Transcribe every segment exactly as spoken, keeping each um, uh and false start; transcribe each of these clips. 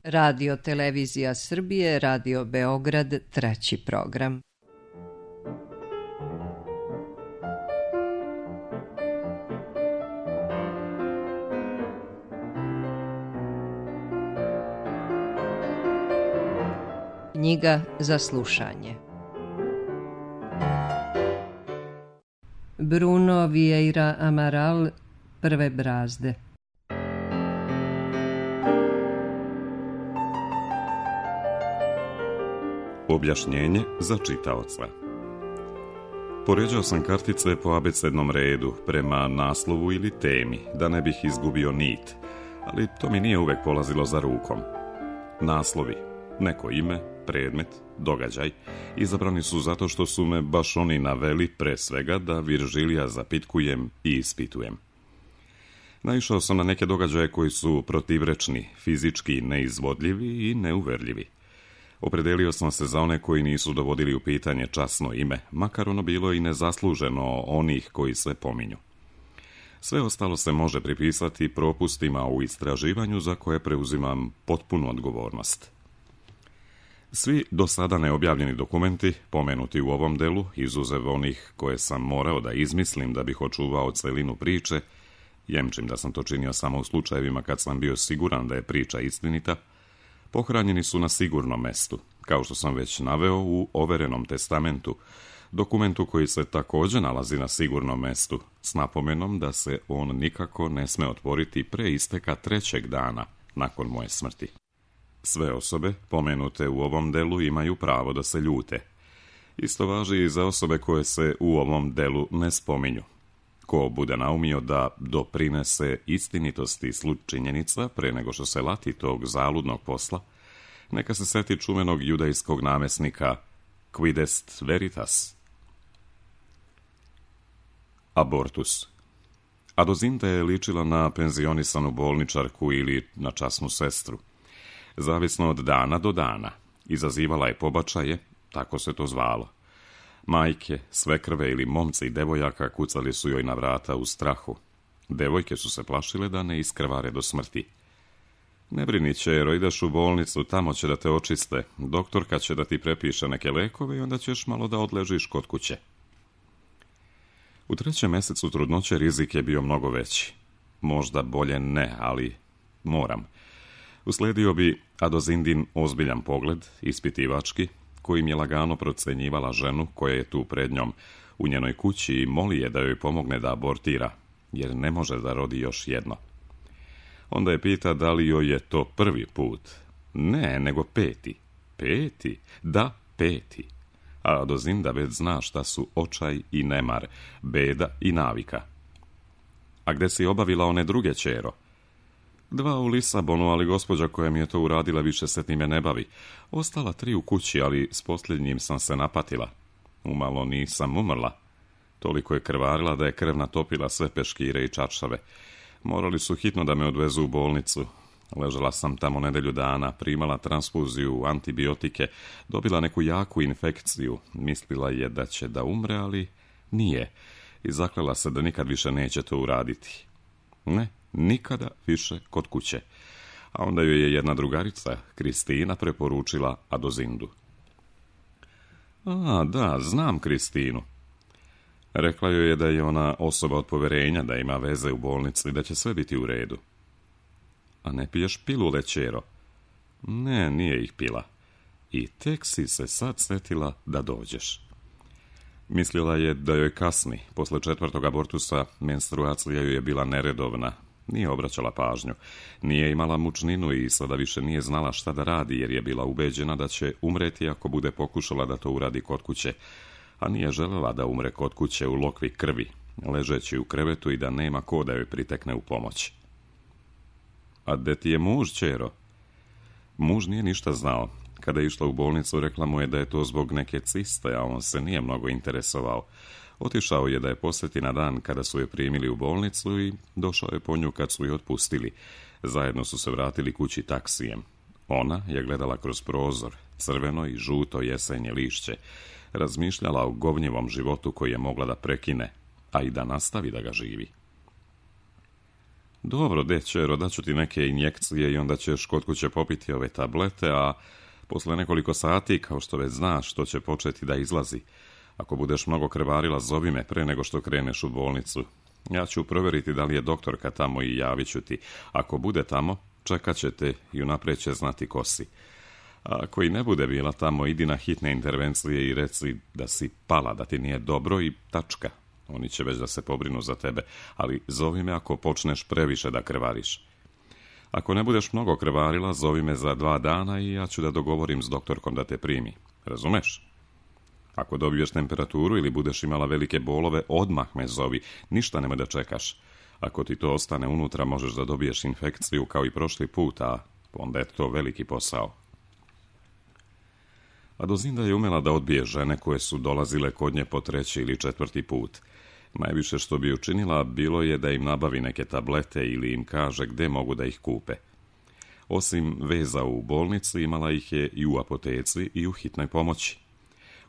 Radio Televizija Srbije, Radio Beograd, treći program. Knjiga za slušanje. Bruno Vieira Amaral, Prve brazde. Objašnjenje za čitaoca. Poređao sam kartice po abecednom redu prema naslovu ili temi, da ne bih izgubio nit, ali to mi nije uvek polazilo za rukom. Naslovi, neko ime, predmet, događaj, izabrani su zato što su me baš oni naveli pre svega da Viržilija zapitkujem i ispitujem. Naišao sam na neke događaje koji su protivrečni, fizički neizvodljivi i neuverljivi. Opredelio sam se za one koji nisu dovodili u pitanje časno ime, makar ono bilo i nezasluženo onih koji se pominju. Sve ostalo se može pripisati propustima u istraživanju za koje preuzimam potpunu odgovornost. Svi do sada neobjavljeni dokumenti, pomenuti u ovom delu, izuzev onih koje sam morao da izmislim da bih očuvao celinu priče, jemčim da sam to činio samo u slučajevima kad sam bio siguran da je priča istinita, pohranjeni su na sigurnom mestu, kao što sam već naveo u overenom testamentu, dokumentu koji se također nalazi na sigurnom mestu, s napomenom da se on nikako ne sme otvoriti pre isteka trećeg dana nakon moje smrti. Sve osobe, pomenute u ovom delu, imaju pravo da se ljute. Isto važi i za osobe koje se u ovom delu ne spominju. Ko bude naumio da doprinese istinitosti činjenica pre nego što se lati tog zaludnog posla, neka se seti čuvenog judejskog namesnika Quid est veritas? Abortus. Adozinta je ličila na penzionisanu bolničarku ili na časnu sestru. Zavisno od dana do dana. Izazivala je pobačaje, tako se to zvalo. Majke, svekrve ili momci i devojaka kucali su joj na vrata u strahu. Devojke su se plašile da ne iskrvare do smrti. Ne brini, ćero, ideš u bolnicu, tamo će da te očiste. Doktorka će da ti prepiše neke lekove i onda ćeš malo da odležiš kod kuće. U trećem mesecu trudnoće rizik je bio mnogo veći. Možda bolje ne, ali moram. Usledio bi Adozindin ozbiljan pogled, ispitivački, kojim je lagano procenjivala ženu koja je tu pred njom u njenoj kući i moli je da joj pomogne da abortira, jer ne može da rodi još jedno. Onda je pita da li joj je to prvi put. Ne, nego peti. Peti? Da, peti. A Adozinda već zna šta su očaj i nemar, beda i navika. A gde si obavila one druge, ćero? Dva u Lisabonu, ali gospođa koja mi je to uradila više se time ne bavi. Ostala tri u kući, ali s posljednjim sam se napatila. Umalo nisam umrla. Toliko je krvarila da je krv natopila sve peškire i čaršave. Morali su hitno da me odvezu u bolnicu. Ležala sam tamo nedelju dana, primala transfuziju, antibiotike, dobila neku jaku infekciju. Mislila je da će da umre, ali nije. I zaklela se da nikad više neće to uraditi. Ne, nikada više kod kuće. A onda joj je jedna drugarica, Kristina, preporučila Adozindu. A, da, znam Kristinu. Rekla joj je da je ona osoba od poverenja, da ima veze u bolnici i da će sve biti u redu. A ne piješ pilule, ćero? Ne, nije ih pila. I tek si se sad setila da dođeš. Mislila je da joj kasni. Posle četvrtog abortusa menstruacija joj je bila neredovna. Nije obraćala pažnju. Nije imala mučninu i sada više nije znala šta da radi, jer je bila ubeđena da će umreti ako bude pokušala da to uradi kod kuće. A nije želela da umre kod kuće u lokvi krvi, ležeći u krevetu i da nema ko da joj pritekne u pomoć. A gde ti je muž, ćero? Muž nije ništa znao. Kada je išla u bolnicu, rekla mu je da je to zbog neke ciste, a on se nije mnogo interesovao. Otišao je da je posjeti na dan kada su je primili u bolnicu i došao je po nju kad su je otpustili. Zajedno su se vratili kući taksijem. Ona je gledala kroz prozor, crveno i žuto jesenje lišće, razmišljala o govnjevom životu koji je mogla da prekine, a i da nastavi da ga živi. Dobro, dećero, daću ti neke injekcije i onda ćeš kod kuće popiti ove tablete, a posle nekoliko sati, kao što već znaš, to će početi da izlazi. Ako budeš mnogo krvarila, zovi me pre nego što kreneš u bolnicu. Ja ću provjeriti da li je doktorka tamo i javit ću ti. Ako bude tamo, čekat će te i unaprijed će znati ko si. A ako i ne bude bila tamo, idi na hitne intervencije i reci da si pala, da ti nije dobro i tačka. Oni će već da se pobrinu za tebe, ali zovi me ako počneš previše da krvariš. Ako ne budeš mnogo krvarila, zovi me za dva dana i ja ću da dogovorim s doktorkom da te primi. Razumeš? Ako dobiješ temperaturu ili budeš imala velike bolove, odmah me zovi, ništa nemoj da čekaš. Ako ti to ostane unutra, možeš da dobiješ infekciju kao i prošli put, a onda je to veliki posao. Adozinda je umela da odbije žene koje su dolazile kod nje po treći ili četvrti put. Najviše što bi učinila bilo je da im nabavi neke tablete ili im kaže gde mogu da ih kupe. Osim veza u bolnici, imala ih je i u apoteci i u hitnoj pomoći.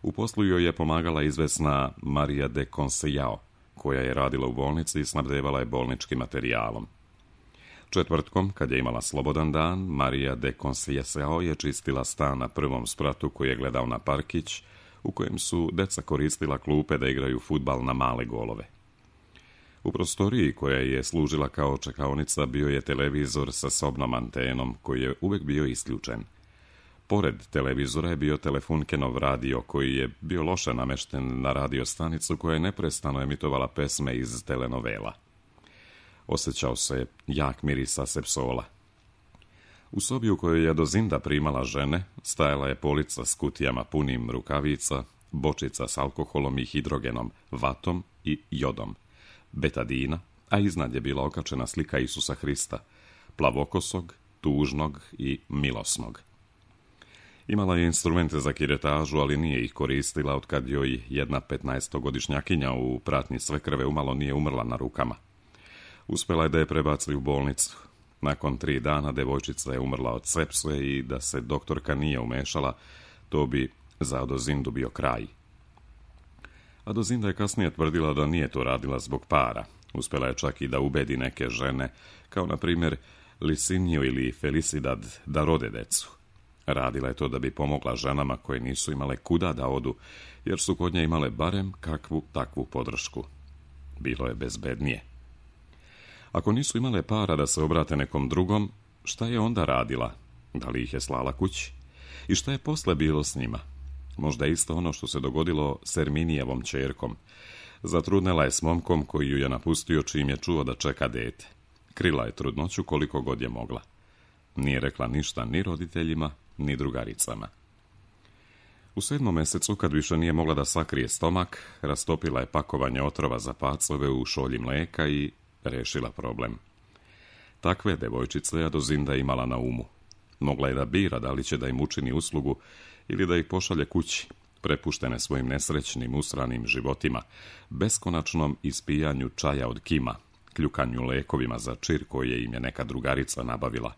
U poslu joj je pomagala izvesna Maria de Consellao, koja je radila u bolnici i snabdevala je bolničkim materijalom. Četvrtkom, kad je imala slobodan dan, Maria de Consellao je čistila stan na prvom spratu koji je gledao na parkić, u kojem su deca koristila klupe da igraju fudbal na male golove. U prostoriji koja je služila kao čekaonica bio je televizor sa sobnom antenom koji je uvek bio isključen. Pored televizora je bio telefunkenov radio koji je bio loše namešten na radio stanicu koja je neprestano emitovala pesme iz telenovela. Osjećao se jak miris asepsola. U sobi u kojoj je Adozinda primala žene, stajala je polica s kutijama punim rukavica, bočica s alkoholom i hidrogenom, vatom i jodom, betadina, a iznad je bila okačena slika Isusa Hrista, plavokosog, tužnog i milosnog. Imala je instrumente za kiretažu, ali nije ih koristila otkad joj jedna petnaestogodišnjakinja u pratnji svekrve umalo nije umrla na rukama. Uspjela je da je prebaci u bolnicu. Nakon tri dana devojčica je umrla od sepse i da se doktorka nije umešala, to bi za Adozindu bio kraj. Adozinda je kasnije tvrdila da nije to radila zbog para. Uspjela je čak i da ubedi neke žene, kao na primjer Liciniju ili Felicidad, da rode decu. Radila je to da bi pomogla ženama koje nisu imale kuda da odu, jer su kod nje imale barem kakvu takvu podršku. Bilo je bezbednije. Ako nisu imale para da se obrate nekom drugom, šta je onda radila? Da li ih je slala kući? I šta je posle bilo s njima? Možda isto ono što se dogodilo s Erminijevom ćerkom. Zatrudnela je s momkom koji ju je napustio čim je čuo da čeka dete. Krila je trudnoću koliko god je mogla. Nije rekla ništa ni roditeljima, ni drugaricama. U sedmom mesecu, kad više nije mogla da sakrije stomak, rastopila je pakovanje otrova za pacove u šolji mleka i rešila problem. Takve devojčice Adozinda imala na umu. Mogla je da bira da li će da im učini uslugu ili da ih pošalje kući, prepuštene svojim nesrećnim, usranim životima, beskonačnom ispijanju čaja od kima, kljukanju lekovima za čir koje im je neka drugarica nabavila.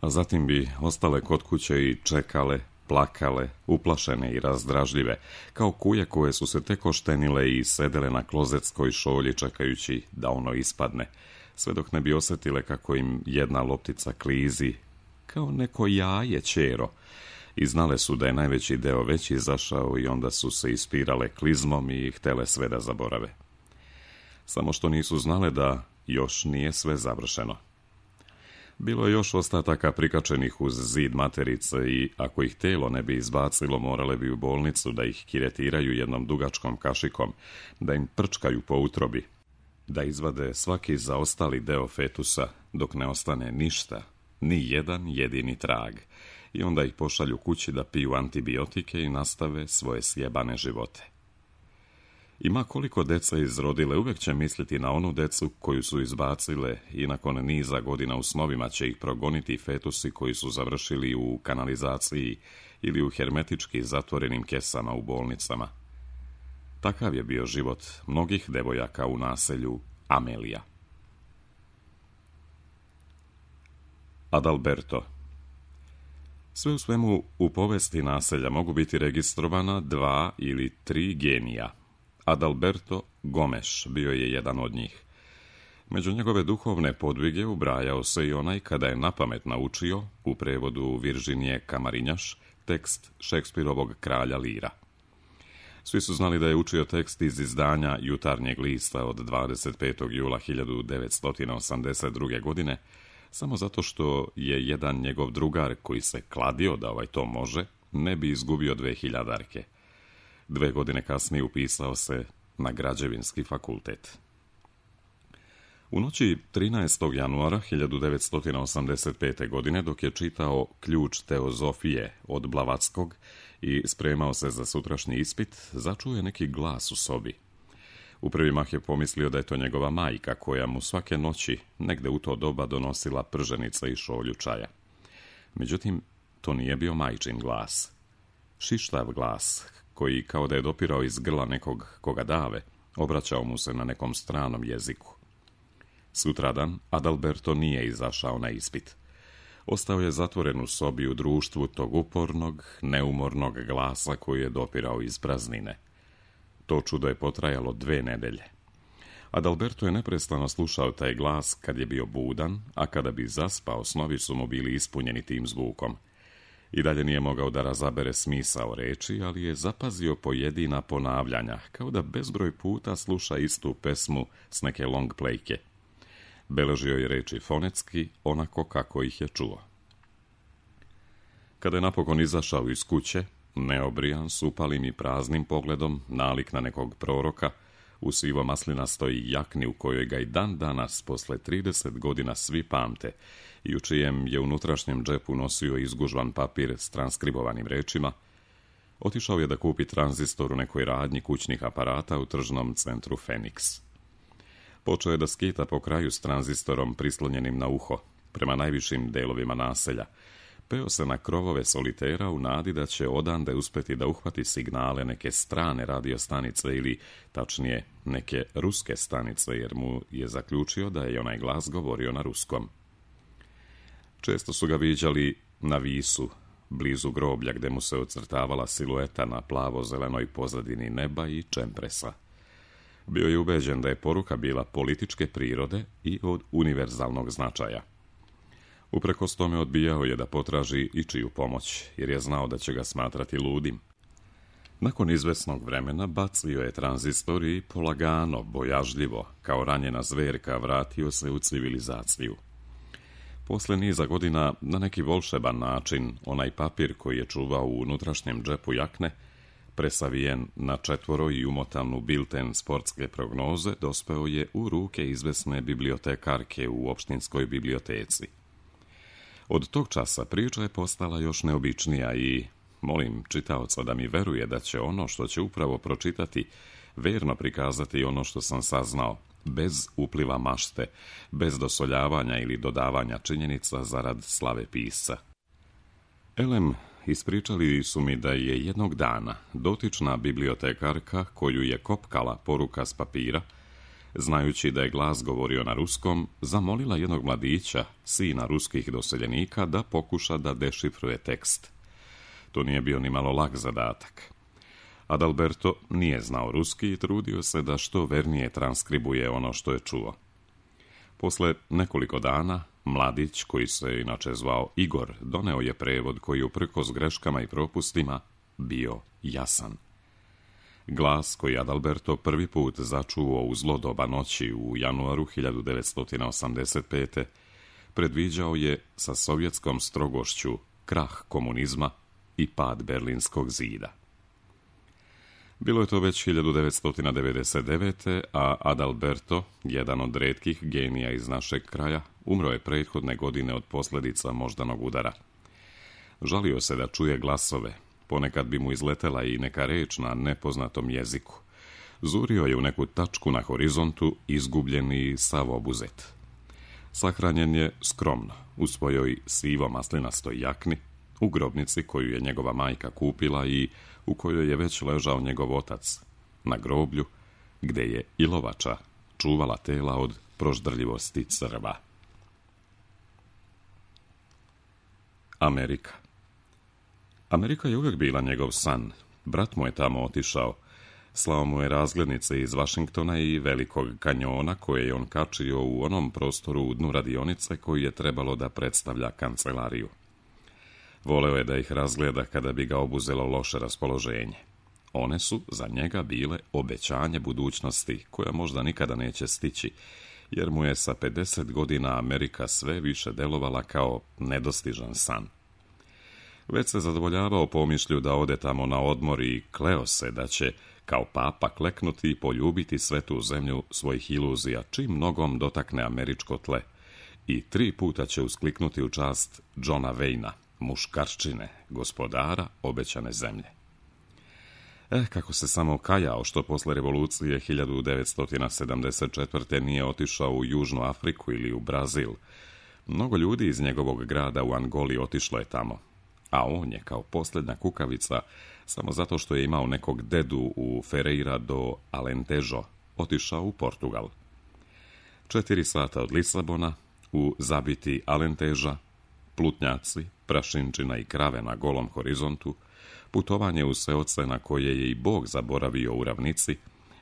A zatim bi ostale kod kuće i čekale, plakale, uplašene i razdražljive, kao kuje koje su se tek oštenile i sedele na klozetskoj šolji čekajući da ono ispadne, sve dok ne bi osjetile kako im jedna loptica klizi, kao neko jaje ćero, i znale su da je najveći deo već izašao i onda su se ispirale klizmom i htele sve da zaborave. Samo što nisu znale da još nije sve završeno. Bilo je još ostataka prikačenih uz zid materice i ako ih telo ne bi izbacilo, morale bi u bolnicu da ih kiretiraju jednom dugačkom kašikom, da im prčkaju po utrobi, da izvade svaki zaostali deo fetusa dok ne ostane ništa, ni jedan jedini trag, i onda ih pošalju kući da piju antibiotike i nastave svoje sjebane živote. Ima koliko deca izrodile, uvijek će misliti na onu decu koju su izbacile i nakon niza godina u snovima će ih progoniti fetusi koji su završili u kanalizaciji ili u hermetički zatvorenim kesama u bolnicama. Takav je bio život mnogih devojaka u naselju Amelija. Adalberto. Sve u svemu, u povesti naselja mogu biti registrovana dva ili tri genija. Adalberto Gomes bio je jedan od njih. Među njegove duhovne podvige ubrajao se i onaj kada je napamet naučio, u prevodu Virginije Kamarinjaš, tekst Šekspirovog Kralja Lira. Svi su znali da je učio tekst iz izdanja Jutarnjeg lista od dvadeset petog jula hiljadu devetsto osamdeset druge. godine, samo zato što je jedan njegov drugar koji se kladio da ovaj to može, ne bi izgubio dve hiljadarke. Dve godine kasnije upisao se na Građevinski fakultet. U noći trinaestog januara hiljadu devetsto osamdeset pete. godine, dok je čitao Ključ teozofije od Blavackog i spremao se za sutrašnji ispit, začuo je neki glas u sobi. U prvi mah je pomislio da je to njegova majka, koja mu svake noći, negde u to doba, donosila prženice i šolju čaja. Međutim, to nije bio majčin glas. Šištav glas, koji, kao da je dopirao iz grla nekog koga dave, obraćao mu se na nekom stranom jeziku. Sutradan Adalberto nije izašao na ispit. Ostao je zatvoren u sobi u društvu tog upornog, neumornog glasa koji je dopirao iz praznine. To čudo je potrajalo dve nedelje. Adalberto je neprestano slušao taj glas kad je bio budan, a kada bi zaspao, snovi su mu bili ispunjeni tim zvukom. I dalje nije mogao da razabere smisao reči, ali je zapazio pojedina ponavljanja, kao da bezbroj puta sluša istu pesmu s neke long playke. Beležio je reči fonetski, onako kako ih je čuo. Kada je napokon izašao iz kuće, neobrijan, s upalim i praznim pogledom, nalik na nekog proroka, u sivo maslinastoj jakni u kojoj ga i dan danas, posle trideset godina, svi pamte i u čijem je unutrašnjem džepu nosio izgužvan papir s transkribovanim rečima, otišao je da kupi tranzistor u nekoj radnji kućnih aparata u tržnom centru Feniks. Počeo je da skita po kraju s tranzistorom prislonjenim na uho, prema najvišim delovima naselja. Peo se na krovove solitera u nadi da će odande uspeti da uhvati signale neke strane radiostanice ili, tačnije, neke ruske stanice, jer mu je zaključio da je onaj glas govorio na ruskom. Često su ga viđali na Visu, blizu groblja gde mu se ocrtavala silueta na plavo-zelenoj pozadini neba i čempresa. Bio je ubeđen da je poruka bila političke prirode i od univerzalnog značaja. Uprkos tome odbijao je da potraži ičiju pomoć, jer je znao da će ga smatrati ludim. Nakon izvesnog vremena bacio je tranzistor i polagano, bojažljivo, kao ranjena zverka, vratio se u civilizaciju. Posle niza godina, na neki volšeban način, onaj papir koji je čuvao u unutrašnjem džepu jakne, presavijen na četvoro i umotan u bilten sportske prognoze, dospeo je u ruke izvesne bibliotekarke u opštinskoj biblioteci. Od tog časa priča je postala još neobičnija i molim čitaoca da mi veruje da će ono što će upravo pročitati verno prikazati ono što sam saznao, bez upliva mašte, bez dosoljavanja ili dodavanja činjenica zarad slave pisca. Elem, ispričali su mi da je jednog dana dotična bibliotekarka, koju je kopkala poruka s papira, znajući da je glas govorio na ruskom, zamolila jednog mladića, sina ruskih doseljenika, da pokuša da dešifruje tekst. To nije bio ni malo lak zadatak. Adalberto nije znao ruski i trudio se da što vernije transkribuje ono što je čuo. Posle nekoliko dana, mladić, koji se inače zvao Igor, doneo je prevod koji uprkos greškama i propustima bio jasan. Glas koji Adalberto prvi put začuo u zlo doba noći u januaru hiljadu devetsto osamdeset pete. predviđao je sa sovjetskom strogošću krah komunizma i pad Berlinskog zida. Bilo je to već hiljadu devetsto devedeset devete. a Adalberto, jedan od retkih genija iz našeg kraja, umro je prethodne godine od posljedica moždanog udara. Žalio se da čuje glasove, ponekad bi mu izletela i neka reč na nepoznatom jeziku. Zurio je u neku tačku na horizontu, izgubljen i sav obuzet. Sahranjen je skromno, u svojoj sivo-maslinastoj jakni, u grobnici koju je njegova majka kupila i u kojoj je već ležao njegov otac, na groblju, gde je ilovača čuvala tela od proždrljivosti crva. Amerika. Amerika je uvijek bila njegov san. Brat mu je tamo otišao. Slao mu je razglednice iz Vašingtona i Velikog kanjona koje je on kačio u onom prostoru u dnu radionice koji je trebalo da predstavlja kancelariju. Voleo je da ih razgleda kada bi ga obuzelo loše raspoloženje. One su za njega bile obećanje budućnosti koja možda nikada neće stići, jer mu je sa pedeset godina Amerika sve više delovala kao nedostižan san. Već se zadovoljavao pomišlju da ode tamo na odmor i kleo se da će kao papa kleknuti i poljubiti svetu zemlju svojih iluzija čim nogom dotakne američko tle i tri puta će uskliknuti u čast Johna Wayna, muškarčine, gospodara obećane zemlje. Eh, kako se samo kajao što posle revolucije hiljadu devetsto sedamdeset četvrte nije otišao u Južnu Afriku ili u Brazil. Mnogo ljudi iz njegovog grada u Angoli otišlo je tamo, a on je kao posljednja kukavica, samo zato što je imao nekog dedu u Ferreira do Alentejo, otišao u Portugal. Četiri sata od Lisabona, u zabiti Alenteža, plutnjaci, prašinčina i krave na golom horizontu, putovanje u seoce na koje je i Bog zaboravio u ravnici,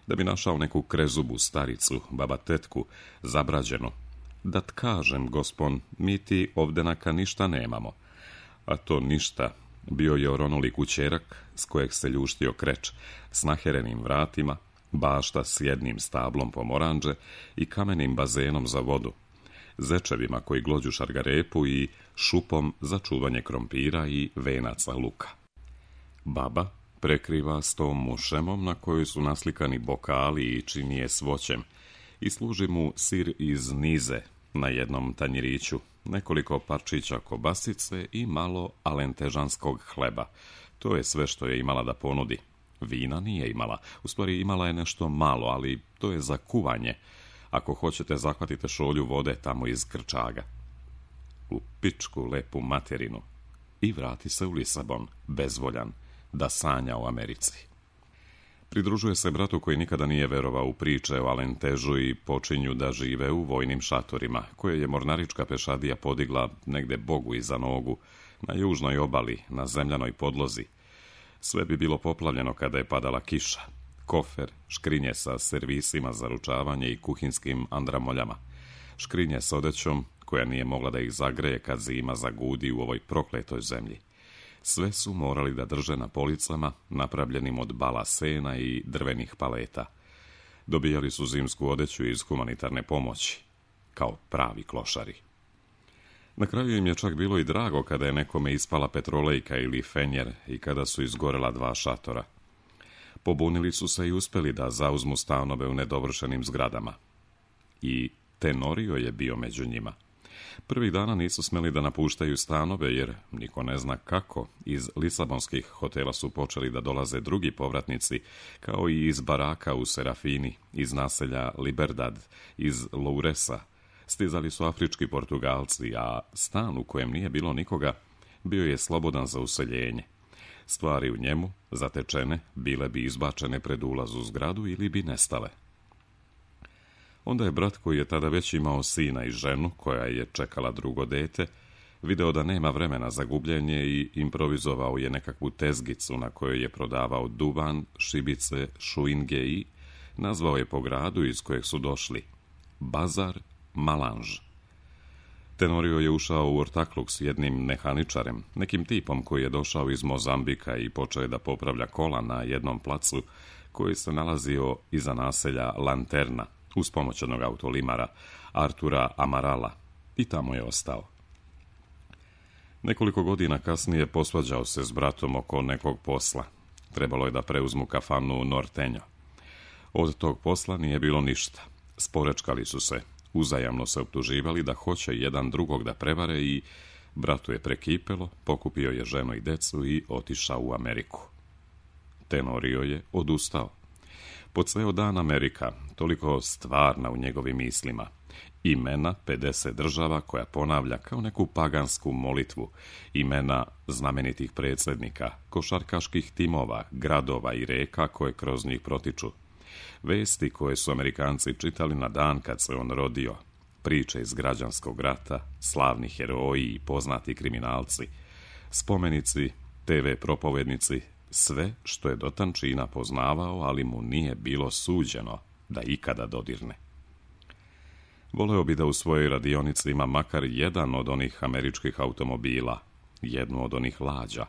da bi našao neku krezubu staricu, baba tetku, zabrađeno. Da kažem, gospon, mi ti ovdenaka ništa nemamo. A to ništa bio je oronuli kućerak s kojeg se ljuštio kreč, s naherenim vratima, bašta s jednim stablom pomoranđe i kamenim bazenom za vodu, zečevima koji glođu šargarepu i šupom za čuvanje krompira i venaca luka. Baba prekriva s tom mušemom na kojoj su naslikani bokali i činije s voćem i služi mu sir iz nize na jednom tanjiriću, nekoliko parčića kobasice i malo alentežanskog hleba. To je sve što je imala da ponudi. Vina nije imala, u stvari imala je nešto malo, ali to je za kuvanje. Ako hoćete, zahvatite šolju vode tamo iz krčaga. U pičku lepu materinu. I vrati se u Lisabon, bezvoljan, da sanja o Americi. Pridružuje se bratu koji nikada nije verovao u priče o Alentežu i počinju da žive u vojnim šatorima, koje je mornarička pešadija podigla negde Bogu iza nogu, na južnoj obali, na zemljanoj podlozi. Sve bi bilo poplavljeno kada je padala kiša. Kofer, škrinje sa servisima za ručavanje i kuhinskim andramoljama. Škrinje s odećom koja nije mogla da ih zagreje kad zima zagudi u ovoj prokletoj zemlji. Sve su morali da drže na policama, napravljenim od bala sena i drvenih paleta. Dobijali su zimsku odeću iz humanitarne pomoći, kao pravi klošari. Na kraju im je čak bilo i drago kada je nekome ispala petrolejka ili fenjer i kada su izgorela dva šatora. Pobunili su se i uspeli da zauzmu stanove u nedovršenim zgradama. I Tenorio je bio među njima. Prvih dana nisu smeli da napuštaju stanove, jer niko ne zna kako. Iz lisabonskih hotela su počeli da dolaze drugi povratnici, kao i iz baraka u Serafini, iz naselja Liberdad, iz Louresa. Stizali su afrički Portugalci, a stan u kojem nije bilo nikoga bio je slobodan za useljenje. Stvari u njemu, zatečene, bile bi izbačene pred ulaz u zgradu ili bi nestale. Onda je brat, koji je tada već imao sina i ženu koja je čekala drugo dete, video da nema vremena za gubljenje i improvizovao je nekakvu tezgicu na kojoj je prodavao duvan, šibice, šuinge i nazvao je po gradu iz kojeg su došli Bazar Malanž. Tenorio je ušao u ortakluk s jednim mehaničarem, nekim tipom koji je došao iz Mozambika i počeo da popravlja kola na jednom placu koji se nalazio iza naselja Lanterna, uz pomoć jednog autolimara, Artura Amarala, i tamo je ostao. Nekoliko godina kasnije posvađao se s bratom oko nekog posla. Trebalo je da preuzmu kafanu Nortenjo. Od tog posla nije bilo ništa. Sporečkali su se, uzajamno se optuživali da hoće jedan drugog da prevare i bratu je prekipelo, pokupio je ženu i decu i otišao u Ameriku. Tenorio je odustao. Po ceo dan Amerika, toliko stvarna u njegovim mislima, imena pedeset država koja ponavlja kao neku pagansku molitvu, imena znamenitih predsjednika, košarkaških timova, gradova i reka koje kroz njih protiču, vesti koje su Amerikanci čitali na dan kad se on rodio, priče iz građanskog rata, slavni heroji i poznati kriminalci, spomenici, te ve propovednici, sve što je do tančina poznavao, ali mu nije bilo suđeno da ikada dodirne. Voleo bi da u svojoj radionici ima makar jedan od onih američkih automobila, jednu od onih lađa,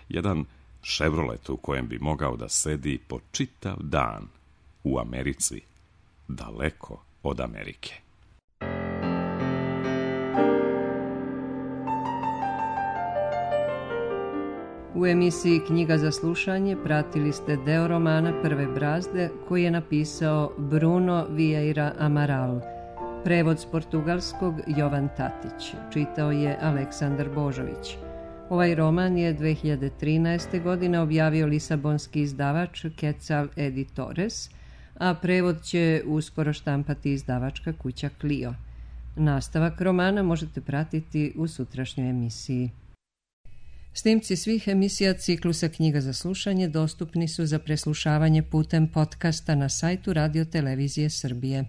jedan Chevrolet u kojem bi mogao da sedi po čitav dan u Americi, daleko od Amerike. U emisiji Knjiga za slušanje pratili ste deo romana Prve brazde koji je napisao Bruno Vieira Amaral. Prevod s portugalskog Jovan Tatić. Čitao je Aleksandar Božović. Ovaj roman je dve hiljade trinaeste. godine objavio lisabonski izdavač Quetzal Editores, a prevod će uskoro štampati izdavačka kuća Clio. Nastavak romana možete pratiti u sutrašnjoj emisiji. Snimci svih emisija ciklusa Knjiga za slušanje dostupni su za preslušavanje putem podcasta na sajtu Radio Televizije Srbije.